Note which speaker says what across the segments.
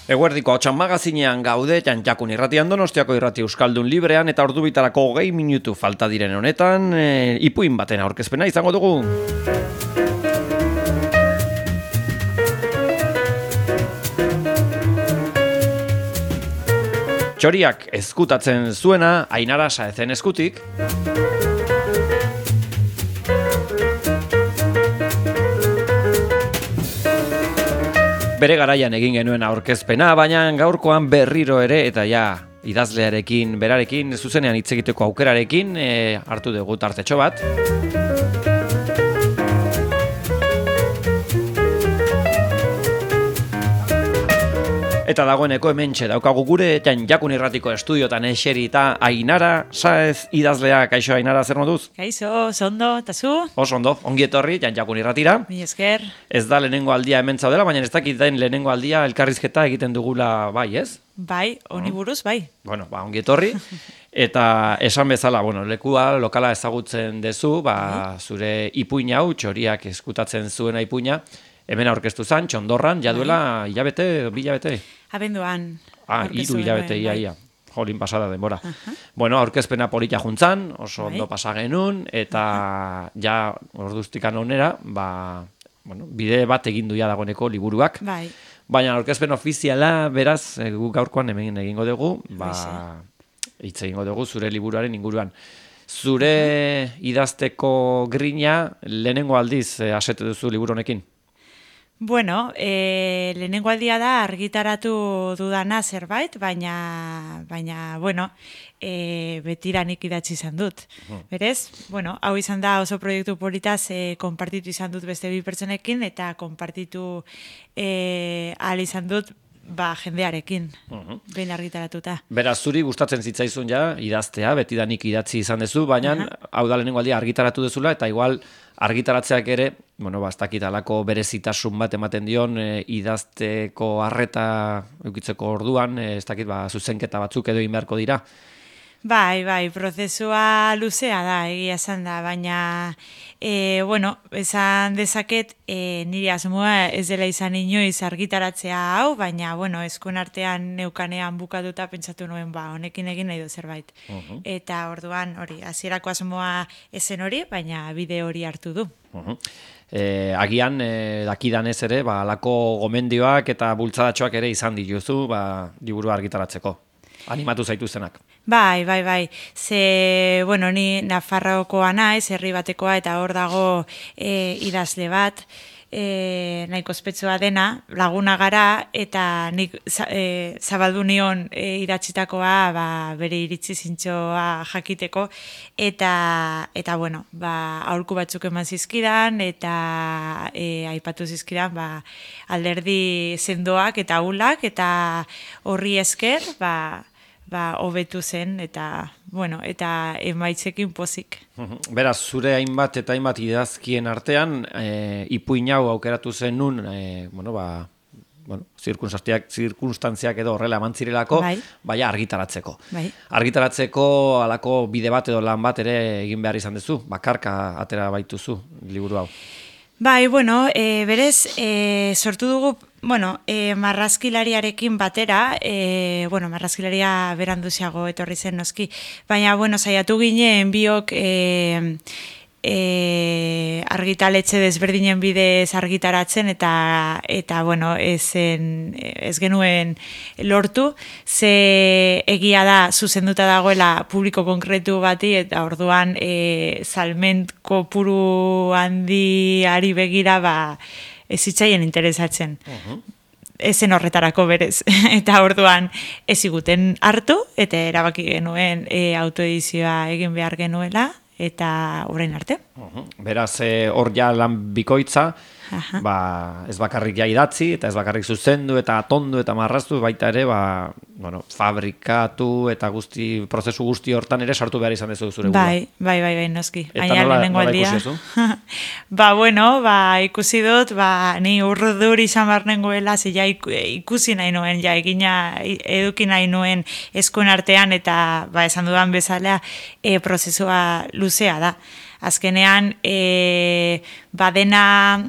Speaker 1: Eguerdiko Ahotsan magazinean gaude, Jakun irratian, Donostiako irrati euskaldun librean, eta ordu bitarako 20 minutu falta diren honetan, ipuin baten aurkezpena izango dugu. Txoriak ezkutatzen zuena, Ainara Saezen eskutik. Bere garaian egin genuen aurkezpena, baina gaurkoan berriro ere, eta ja, idazlearekin, berarekin, zuzenean hitz egiteko aukerarekin, hartu dugu tartetxo bat. Eta dagoeneko hementxe daukagu gure, Jakun irratiko estudiotan eserita Ainara Saez idazlea. Kaixo, Ainara, zer moduz?
Speaker 2: Kaixo, ondo, eta zu?
Speaker 1: Oso ondo, ongi etorri, Jakun irratira.
Speaker 2: Mi esker.
Speaker 1: Ez da lehenengo aldia hemen zaudela, baina ez dakit den lehenengo aldia elkarrizketa egiten dugula bai, ez?
Speaker 2: Bai, honi buruz, bai.
Speaker 1: Bueno, ongi etorri. Eta esan bezala, lekua, lokala ezagutzen dezu, zure ipuin hau, Txoriak eskutatzen zuena ipuina, hemen aurkeztu zen, Txondorran, jaduela hilabete, bilabete?
Speaker 2: Abenduan.
Speaker 1: 3 hilabete, ia. Jolin pasada denbora. Bueno, aurkezpena polita juntzan, oso ondo pasa genuen, eta ja orduztikan onera, bide bat egin duia dagoeneko liburuak.
Speaker 2: Bai.
Speaker 1: Baina aurkezpen ofiziala, beraz, gu gaurkoan hemen egingo dugu, hitz egingo dugu zure liburuaren inguruan. Zure idazteko grina lehenengo aldiz asete duzu liburu honekin?
Speaker 2: Bueno, lehenengo aldia da argitaratu dudana zerbait, baina betiranik idatzi izan dut. Berez, hau izan da oso proiektu politaz konpartitu izan dut beste 2 pertsonekin, eta konpartitu ahal izan dut jendearekin, behin argitaratuta.
Speaker 1: Beraz, zuri gustatzen zitzaizun ja, idaztea, betidanik idatzi izan dezu, baina hau da lehenengo aldia argitaratu dezula, eta igual argitaratzeak ere, ez dakit alako berezitasun bat ematen dion, idazteko harreta eukitzeko orduan, ez dakit zuzenketa batzuk edo inbeharko dira.
Speaker 2: Bai, prozesua luzea da, egia esan da, baina, esan dezaket, nire asmoa ez dela izan inoiz argitaratzea hau, baina, eskuen artean neukanean bukatuta pentsatu nuen, honekin egin nahi du zerbait. Eta orduan, hasierako asmoa ezen hori, baina bide hori hartu du.
Speaker 1: Agian, dakidanez ere, alako gomendioak eta bultzadatxoak ere izan dituzu, liburua argitaratzeko. Animatu zaituztenak.
Speaker 2: Bai. Ze, ni Nafarroakoa naiz, herri batekoa, eta hor dago idazle bat, nahiko ospetsua dena, laguna gara, eta nik zabaldu nion idatzitakoa bere iritzi zintzoa jakiteko, eta aholku batzuk eman zizkidan, eta aipatu zizkidan alderdi sendoak eta ahulak, eta horri esker, hobetu zen, eta emaitzekin pozik.
Speaker 1: Beraz, zure hainbat eta hainbat idazkien artean, ipuin hau aukeratu zen nun, zirkunstantziak edo horrela emantzirelako, argitaratzeko. Argitaratzeko alako bide bat edo lan bat ere egin behar izan dezu, bakarka atera baituzu liburu hau.
Speaker 2: Berez, sortu dugu, marrazkilariarekin batera, marrazkilaria beranduziago etorri zen noski, baina, saiatu ginen biok argitaletxe desberdinen bidez argitaratzen, eta ez genuen lortu, ze egia da zuzenduta dagoela publiko konkretu bati, eta orduan salment kopuru handiari begira ez zitzaien interesatzen. Ezen horretarako berez. Eta orduan ez ziguten hartu, eta erabaki genuen autoedizioa egin behar genuela, eta orain arte.
Speaker 1: Beraz, hor ja lan bikoitza, ez bakarrik ja idatzi, eta ez bakarrik zuzendu, eta atondu, eta marraztu, baita ere, fabrikatu, eta prozesu guzti hortan ere sartu behar izan dezu zure gura.
Speaker 2: Bai, noski.
Speaker 1: Eta nola ikusi ezu?
Speaker 2: Ikusi dut, ni urdur izan behar nengoela, ze ja ikusi nahi nuen, ja eduki nahi nuen eskuen artean, eta esan dudan bezala, prozesua luzea da. Azkenean, badena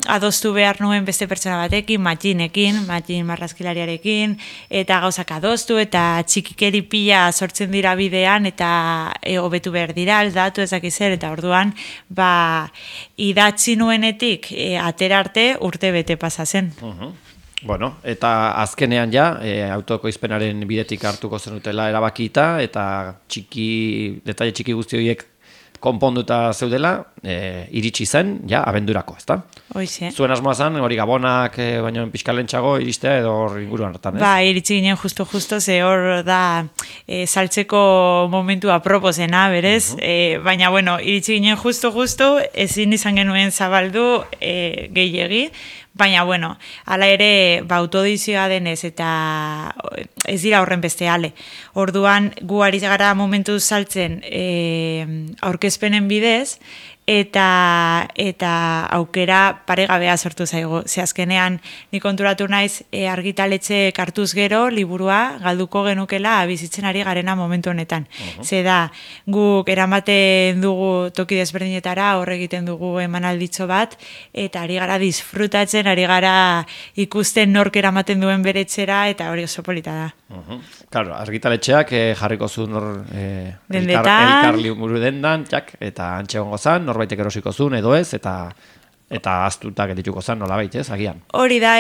Speaker 2: adostu behar nuen beste pertsona batekin, Matxin marrazkilariarekin, eta gauzak adostu, eta txikikeri pila sortzen dira bidean, eta hobetu behar dira, aldatu ezak zer, eta orduan, idatzi nuenetik atera arte urte bete pasa zen.
Speaker 1: Bueno, eta azkenean ja, autoekoizpenaren bidetik hartuko zenutela erabakita, eta detaile txiki guzti horiek konponduta zeudela, iritsi zen, ja, abendurako, ezta?
Speaker 2: Hoize.
Speaker 1: Zuen asmoa zen, hori gabonak, baino pixkalentxago iristea edo hor inguruan hartan, ez?
Speaker 2: Iritsi ginen justo, ze hor da saltzeko momentu aproposena, berez? Baina, bueno, iritsi ginen justo, ezin izan genuen zabaldu gehiegi, baina, bueno, hala ere, autodizioa denez, eta ez dira horren beste ale. Orduan, gu ari gara momentu saltzen aurkezpenen bidez, eta aukera paregabea sortu zaigu. Ze azkenean, ni konturatu naiz argitaletxe hartuz gero, liburua galduko genukela bizitzen ari garena momentu honetan. Ze da, guk eramaten dugu toki desberdinetara, hor egiten dugu emanalditxo bat, eta ari gara disfrutatzen, ari gara ikusten nork eramaten duen beretxera, eta hori oso polita da.
Speaker 1: Claro, argitaletxeak jarriko zuen
Speaker 2: dendetan,
Speaker 1: elkar liburu dendan, eta antxe gongo zan, norbaitek erosiko zuen edo ez, eta aztuta geldituko zan nolabait, ez, agian.
Speaker 2: Hori da,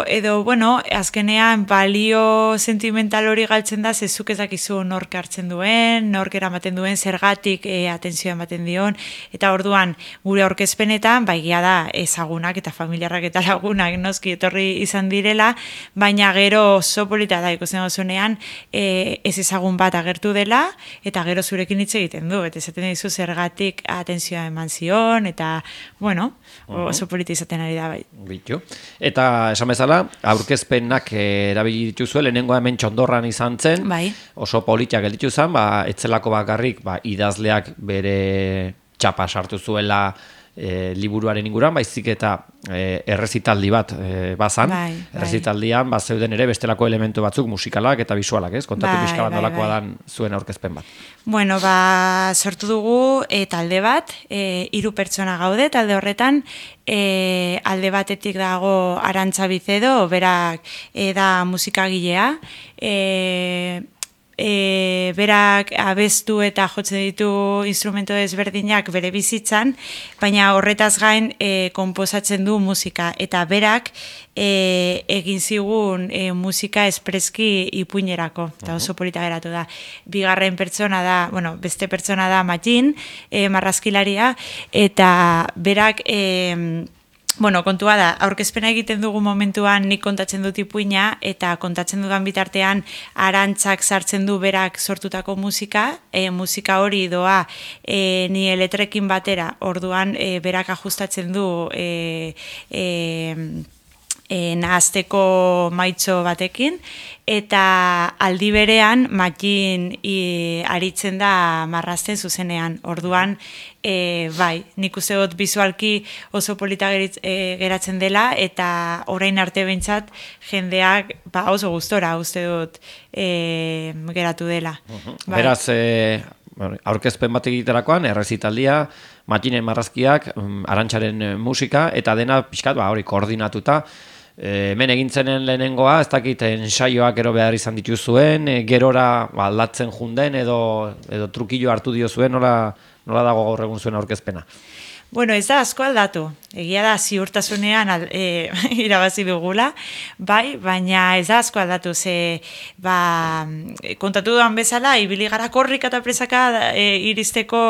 Speaker 2: edo bueno, azkenean balio sentimental hori galtzen da, zezuk ez dakizu nork hartzen duen, nork eramaten duen, zergatik atentzioa ematen dion, eta orduan gure aurkezpenetan, baigia da ezagunak eta familiarrak eta lagunak noski etorri izan direla, baina gero oso polita da ikusten dozunean ez ezagun bat agertu dela, eta gero zurekin hitz egiten du, eta esaten dizu zergatik atentzioa eman zion, eta bueno, oso polita izaten ari da bai.
Speaker 1: Bitu. Eta esan bezala, aurkezpenak erabili dituzue, lehenengoa hemen Txondorran izan zen,
Speaker 2: bai.
Speaker 1: Oso politiak gelditu zen, etzelako bakarrik idazleak bere txapa sartu zuela liburuaren inguruan, baizik eta errezitaldi bat bazan, errezitaldian zeuden ere bestelako elementu batzuk musikalak eta bisualak, ez? Kontatu pixka bat nolakoa dan zuen aurkezpen bat.
Speaker 2: Bueno, sortu dugu talde bat, 3 pertsona gaude, talde horretan, alde batetik dago Arantza Bizedo, berak da musikagilea, berak abestu eta jotzen ditu instrumento desberdinak bere bizitzan, baina horretaz gain konposatzen du musika, eta berak egin zigun musika espreski ipuinerako, eta oso polita geratu da. Bigarren pertsona da, beste pertsona da Matxin, marrazkilaria, eta berak kontua da, aurkezpena egiten dugu momentuan nik kontatzen dut ipuina, eta kontatzen dudan bitartean Arantzak sartzen du berak sortutako musika, musika hori doa ni letrekin batera, orduan berak ajustatzen du nahazteko maitxo batekin, eta aldi berean Matxin aritzen da marrazten zuzenean. Orduan, nik uste dut bizualki oso polita geratzen dela, eta orain arte behintzat jendeak oso gustora uste dut geratu dela.
Speaker 1: Beraz, aurkezpen bat egiterakoan, errezitaldia, Matxinen marrazkiak, Arantzaren musika, eta dena pixkat hori koordinatuta. Hemen egintzenen lehenengoa, ez dakit ensaioak gero behar izan dituzuen, gerora aldatzen junden edo trukillo hartu dio zuen, nola dago gaur egun zuen aurkezpena?
Speaker 2: Bueno, ez da asko aldatu. Egia da ziurtasunean irabazi dugula, baina ez da asko aldatu. Kontatu duan bezala, ibili gara korrika eta presaka iristeko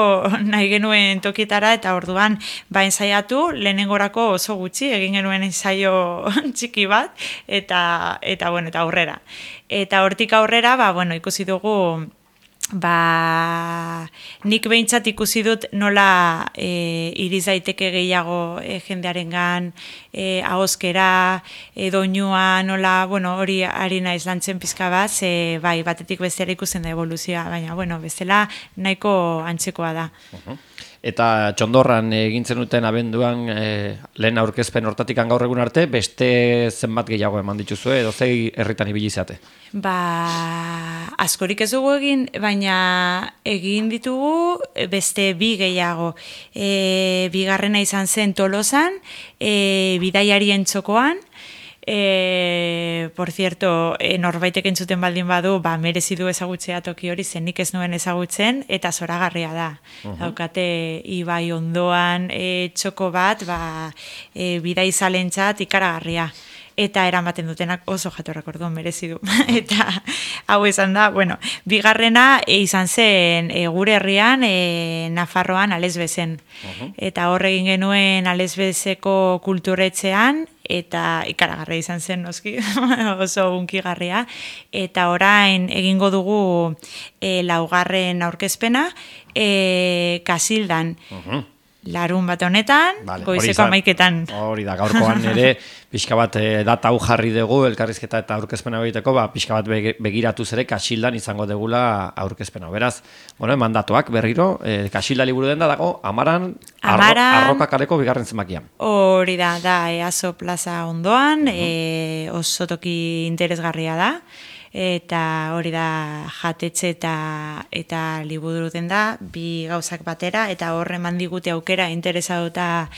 Speaker 2: nahi genuen tokietara, eta orduan ensaiatu, lehenengorako oso gutxi, egin genuen ensaio txiki bat, eta aurrera. Eta hortik aurrera, ikusi dugu, nik behintzat ikusi dut nola iriz daiteke gehiago jendearengan, ahozkera, doinua, nola, hori ari naiz lantzen pizka bat, batetik bestera ikusten da evoluzioa, baina, bestela nahiko antzekoa da.
Speaker 1: Eta txondorran egintzen duten abenduan lehen aurkezpen hortatikan gaur egun arte, beste zenbat gehiago eman dituzue, edo zei herritan ibili zate?
Speaker 2: Askorik ez dugu egin, baina egin ditugu beste bi gehiago. Bigarrena izan zen Tolosan, bidaiarien txokoan, por cierto, norbaitek entzuten baldin badu, merezi du ezagutzea toki hori, nik ez nuen ezagutzen, eta zoragarria da. Daukate ibai ondoan txoko bat, bidai zalentzat ikaragarria. Eta eramaten dutenak oso jatorrak, orduan merezi du. Eta hau izan da, bigarrena izan zen gure herrian, Nafarroan, Alesbezen. Eta hor egin genuen Alesbezeko kulturetzean, eta ikaragarria izan zen, noski, oso unkigarria. Eta orain egingo dugu laugarren aurkezpena, Kasildan. Larun bat honetan, goizeko 11:00.
Speaker 1: Hori da, gaurkoan ere, pixka bat data hau jarri dugu, elkarrizketa eta aurkezpena egiteko, pixka bat begiratuz ere Kasildan izango degula aurkezpena. Beraz, mandatuak berriro, Kasilda liburu denda dago, Amaran, Arroka kaleko bigarren zenbakian.
Speaker 2: Hori da, Easo plaza ondoan, oso toki interesgarria da. Eta hori da jatetxe eta liburu denda, bi gauzak batera, eta horre eman digute aukera interesatuta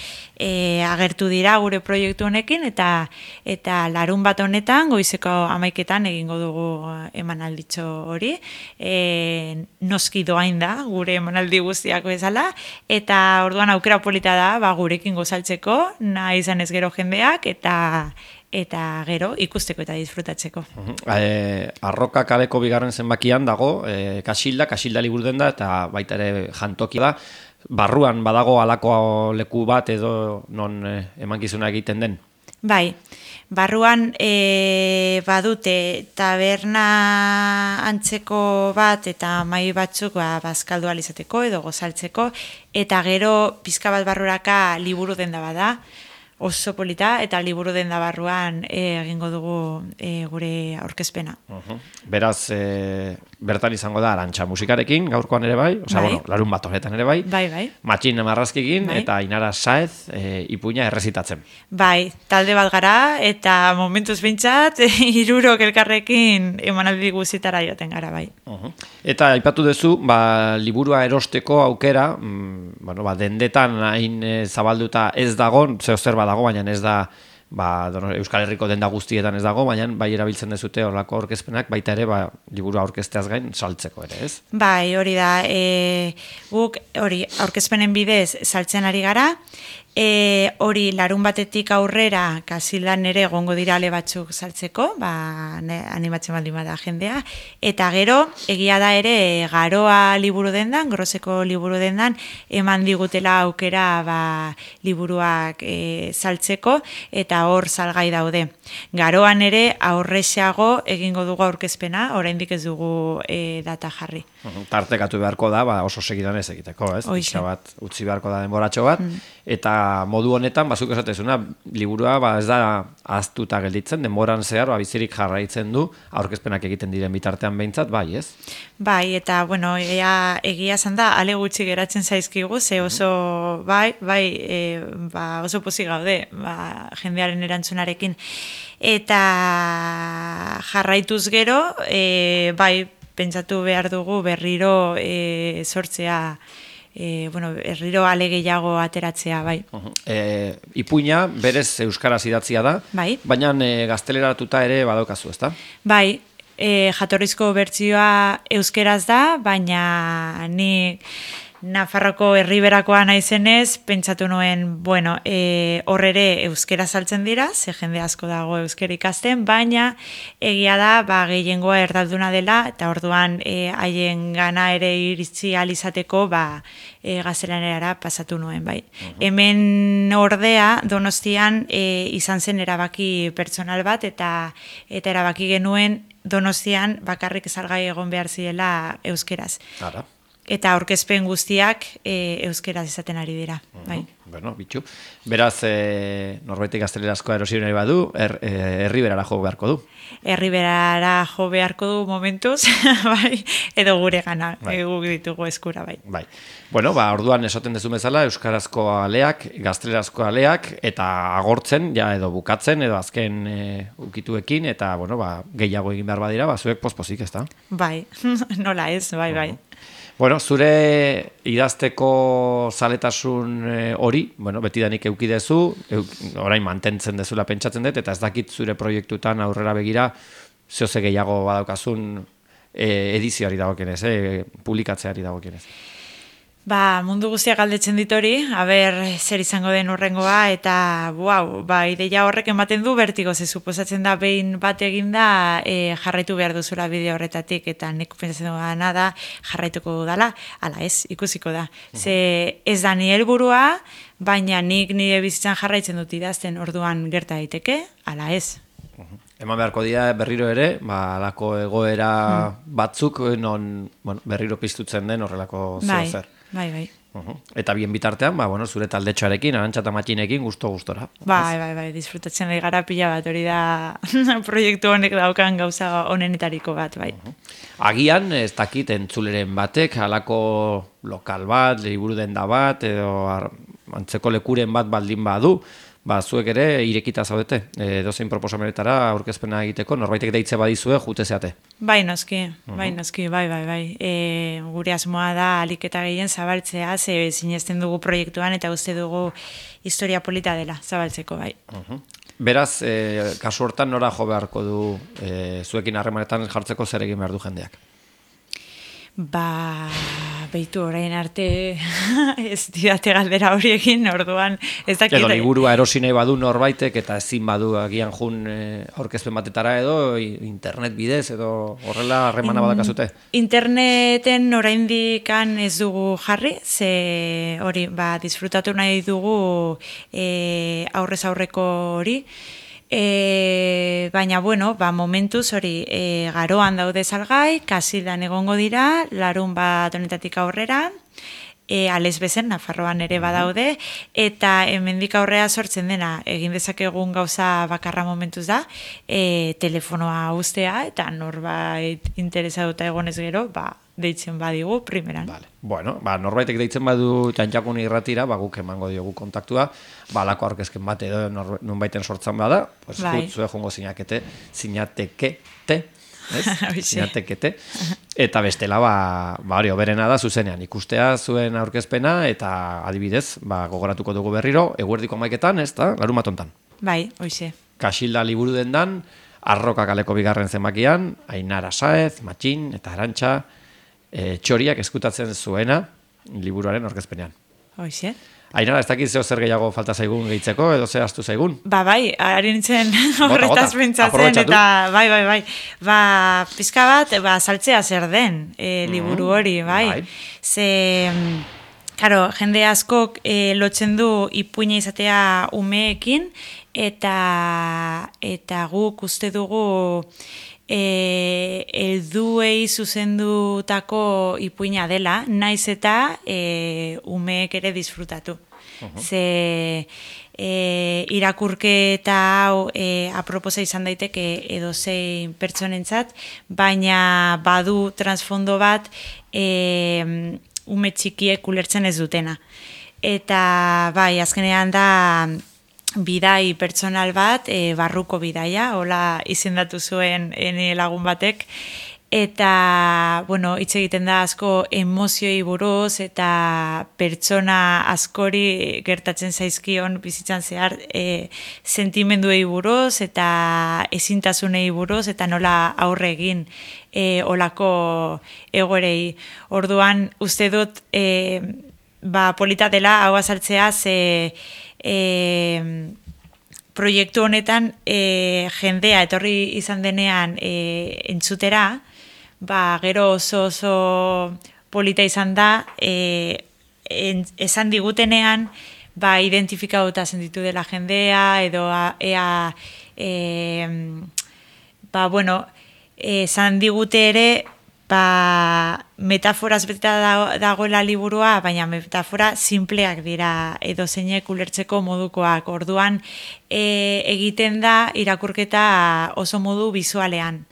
Speaker 2: agertu dira gure proiektu honekin, eta larun bat honetan, goizeko 11:00 egingo dugu emanalditxo hori, noski doain da, gure emanaldi guztiako bezala, eta orduan aukera polita da, gurekin gozaltzeko, nahi izan ez gero jendeak, eta gero ikusteko eta disfrutatzeko.
Speaker 1: Arroka kaleko bigarren zenbakian dago, Kasilda liburu denda, eta baita ere jantoki da. Barruan badago halako leku bat edo non emankizuna egiten den?
Speaker 2: Bai, barruan badute taberna antzeko bat eta mai batzuk bazkaldu alizateko edo gozaltzeko, eta gero pizka bat barruraka liburu denda bada, oso polita, eta liburu denda barruan egingo dugu gure aurkezpena.
Speaker 1: Beraz, bertan izango da Arantxa musikarekin, gaurkoan ere bai, larun bat honetan ere bai.
Speaker 2: Bai.
Speaker 1: Matxin Marrazkikin eta Inara Saez ipuina errezitatzen.
Speaker 2: Bai, talde bat gara, eta momentuz bintzat, 3 elkarrekin emanaldi guztietara joaten gara, bai.
Speaker 1: Eta aipatu duzu, liburua erosteko aukera, dendetan hain zabalduta ez dago, zer badago, baina ez da, Euskal Herriko denda guztietan ez dago, baina bai erabiltzen dezute horlako aurkezpenak, baita ere, liburua aurkezteaz gain saltzeko ere, ez?
Speaker 2: Bai, hori da, guk hori aurkezpenen bidez saltzen ari gara, hori larun batetik aurrera Kasildan ere egongo dira ale batzuk saltzeko, animatzen baldin bada jendea, eta gero egia da ere Garoa liburu dendan, Groseko liburu dendan, eman digutela aukera liburuak saltzeko, eta hor salgai daude. Garoan ere aurrexeago egingo dugu aurkezpena, oraindik ez dugu data jarri.
Speaker 1: Tartekatu beharko da, oso segidan ez egiteko, ez? Pixka bat utzi beharko da denboratxo bat, eta modu honetan, zuk esatezuna, liburua ez da ahaztuta gelditzen, denboran zehar, bizirik jarraitzen du, aurkezpenak egiten diren bitartean behintzat, bai, ez?
Speaker 2: Bai, eta, egia esan da, ale gutxi geratzen zaizkigu, ze oso, oso pozik gaude, jendearen erantzunarekin. Eta jarraituz gero, pentsatu behar dugu berriro sortzea, herriro ale gehiago ateratzea, bai.
Speaker 1: Ipuina berez euskaraz idatzia da, baina gazteleratuta ere badaukazu, ezta?
Speaker 2: Bai, jatorrizko bertsioa euskeraz da, baina ni Nafarroko herriberakoa naizenez, pentsatu nuen, hor ere euskera saltzen dira, ze jende asko dago euskera ikasten, baina egia da, gehiengoa erdalduna dela, eta orduan haien gana ere iritsi alizateko, gaztelanerara pasatu nuen, bai. Hemen ordea, Donostian izan zen erabaki pertsonal bat, eta erabaki genuen Donostian bakarrik salgai egon behar zirela euskeraz. eta aurkezpen guztiak euskeraz izaten ari dira. Bai.
Speaker 1: Bueno, bitxu. Beraz, norbaitek gaztelerazkoa erosi nahi badu, Herriberara jo beharko du.
Speaker 2: Herriberara jo beharko du momentuz, bai, edo gure gana, guk ditugu eskura, bai.
Speaker 1: Bai. Bueno, orduan esaten dezu bezala, euskarazko aleak, gaztelerazko aleak, eta agortzen, ja, edo bukatzen, edo azken ukituekin, eta, bueno, gehiago egin behar badira, zuek pospozik, ez da?
Speaker 2: Bai, nola ez, bai.
Speaker 1: Bueno, zure idazteko zaletasun hori, bueno, betidanik eukidezu, orain mantentzen dezula pentsatzen dut, eta ez dakit zure proiektutan aurrera begira, zehose gehiago badaukazun edizioari dagokienez, publikatzeari dagokienez.
Speaker 2: Mundu guztiak galdetzen dit hori, zer izango den urrengoa, eta ideia horrek ematen du bertigo, ze suposatzen da behin bat eginda jarraitu behar duzula bideo horretatik, eta nik pentsatzen dugana da jarraituko dudala, ala ez, ikusiko da. Ze ez da ni helburua, baina nik nire bizitzan jarraitzen dut idazten orduan gerta daiteke, ala ez.
Speaker 1: Eman beharko dira berriro ere, alako egoera batzuk non berriro piztutzen den horrelako zer.
Speaker 2: Bai.
Speaker 1: Eta bien bitartean, zure taldetxoarekin, Arantxa eta Matxinekin, gustora.
Speaker 2: Bai, disfrutatzen ari gara pila bat, hori da proiektu honek daukan gauza honenetariko bat, bai.
Speaker 1: Agian, ez dakit entzuleren batek, halako lokal bat, liburu denda bat, edo antzeko lekuren bat baldin badu, zuek ere irekita zaudete, dozein proposamenetara aurkezpena egiteko, norbaitek deitze badizue, jute zeate.
Speaker 2: Bai, noski, bai. Gure asmoa da ahalik eta gehien zabaltzea, ze sinesten dugu proiektuan eta uste dugu historia polita dela zabaltzeko, bai.
Speaker 1: Beraz, kasu hortan nora jo beharko du zuekin harremanetan jartzeko zer egin behar du jendeak?
Speaker 2: Beitu orain arte ez didate galdera horiekin, orduan ez dakit.
Speaker 1: Edo liburua erosi nahi badu norbaitek eta ezin badu agian jun aurkezpen batetara edo internet bidez edo horrela harremana badakazute?
Speaker 2: Interneten oraindik ez dugu jarri, ze hori disfrutatu nahi dugu aurrez aurreko hori. Baina, momentuz hori garoan daude salgai, Kasildan egongo dira, larun bat honetatik aurrera, Ales bezen, Nafarroan ere badaude, eta hemendik aurrea sortzen dena, egin dezakegun gauza bakarra momentuz da, telefonoa uztea, eta norbait interesatuta egonez gero, deitzen badigu, primeran.
Speaker 1: Vale. Bueno, norbaitek deitzen badu Txantxakun irratira, guk emango diogu kontaktua, alako aurkezken bat edo nonbaiten sortzen bada, zue jongo zinatekete, eta bestela, hori, oberena da zuzenean, ikustea zuen aurkezpena, eta adibidez, gogoratuko dugu berriro, eguerdiko 11etan, ez da, larumatontan.
Speaker 2: Bai, hoize.
Speaker 1: Kasilda liburu dendan, Arroka kaleko 2. zenbakian, Ainara Saez, Matxin eta Arantxa, txoriak eskutatzen zuena liburuaren aurkezpenean.
Speaker 2: Hoize.
Speaker 1: Ainara, ez dakit zeo zer gehiago falta zaigun gehitzeko, edo ze astu zaigun?
Speaker 2: Bai, ari nintzen horretaz pentsatzen, eta bai. Pizka bat, saltzea zer den liburu hori, bai. Ze, karo, jende askok lotzen du ipuina izatea umeekin, eta guk uste dugu helduei zuzendutako ipuina dela, naiz eta umeek ere disfrutatu. Ze irakurketa hau aproposa izan daiteke edozein pertsonentzat, baina badu transfondo bat ume txikiek ulertzen ez dutena. Eta azkenean da bidai pertsonal bat, barruko bidaia, hola izendatu zuen lagun batek, eta, hitz egiten da asko emozioi buruz eta pertsona askori gertatzen zaizkion bizitzan zehar sentimenduei buruz eta ezintasunei buruz eta nola aurre egin olako egoerei. Orduan, uste dut, polita dela hau azaltzea, ze proiektu honetan jendea etorri izan denean entzutera, gero oso polita izan da, esan digutenean, identifikatuta sentitu dela jendea, edo esan digute ere, metaforaz beteta dagoela liburua, baina metafora simpleak dira edo zeinek ulertzeko modukoak. Orduan egiten da irakurketa oso modu bizualean.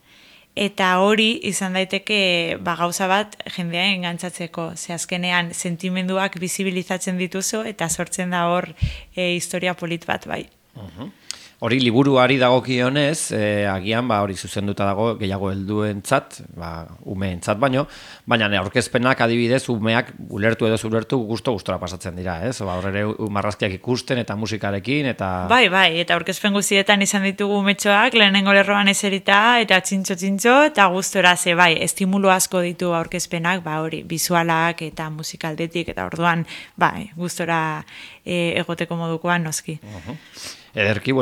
Speaker 2: Eta hori izan daiteke gauza bat jendea engantzatzeko. Ze azkenean sentimenduak bizibilizatzen dituzu eta sortzen da hor historia polit bat bai.
Speaker 1: Hori liburuari dagokionez, agian hori zuzenduta dago gehiago helduentzat, umeentzat baino, baina aurkezpenak adibidez umeak ulertu edo ulertu gustora pasatzen dira, ez? Hor ere marrazkiak ikusten eta musikarekin eta
Speaker 2: Bai, eta aurkezpen guztietan izan ditugu umetxoak lehenengo lerroan eserita eta txintxo eta gustora ze bai, estimulo asko ditu aurkezpenak, hori bizualak eta musikaldetik eta orduan gustora egoteko modukoan noski.
Speaker 1: Ederki,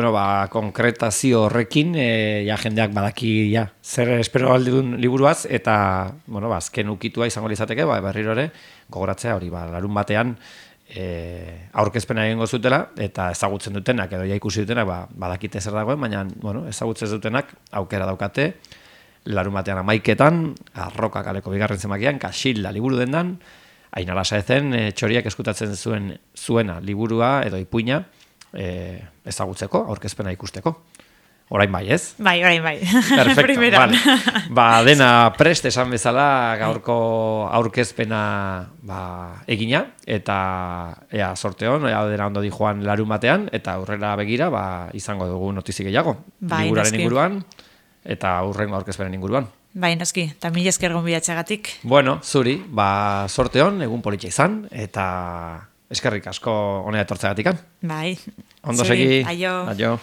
Speaker 1: konkretazio horrekin, jendeak badaki zer espero aldun liburuaz, eta, azken ukitua izango lizateke, berriro ere, gogoratzea hori, larun batean, aurkezpena egingo zutela, eta ezagutzen dutenak, edo ikusi dutenak, badakite zer dagoen, baina, ezagutzen dutenak, aukera daukate, larun batean 11:00, Arroka kaleko bigarren zenbakian, Kaxilla liburu dendan, Ainara Saezen txoriak eskutatzen zuena liburua edo ipuina, ezagutzeko, aurkezpena ikusteko. Orain bai, ez?
Speaker 2: Bai, orain bai.
Speaker 1: Perfecto, vale. Dena prest esan bezala gaurko aurkezpena egina, eta sorteon, dena ondo di joan larun batean, eta aurrera begira izango dugu notizi gehiago. Liburaren inguruan, eta aurrengo aurkezpenen inguruan.
Speaker 2: Bai, noski, eta mila esker gonbidatxagatik.
Speaker 1: Bueno, zuri, sorteon, egun politxa izan, eta eskerrik asko honea etortzeagatikan.
Speaker 2: Bai.
Speaker 1: Ondo segi.
Speaker 2: Aio.
Speaker 1: Aio.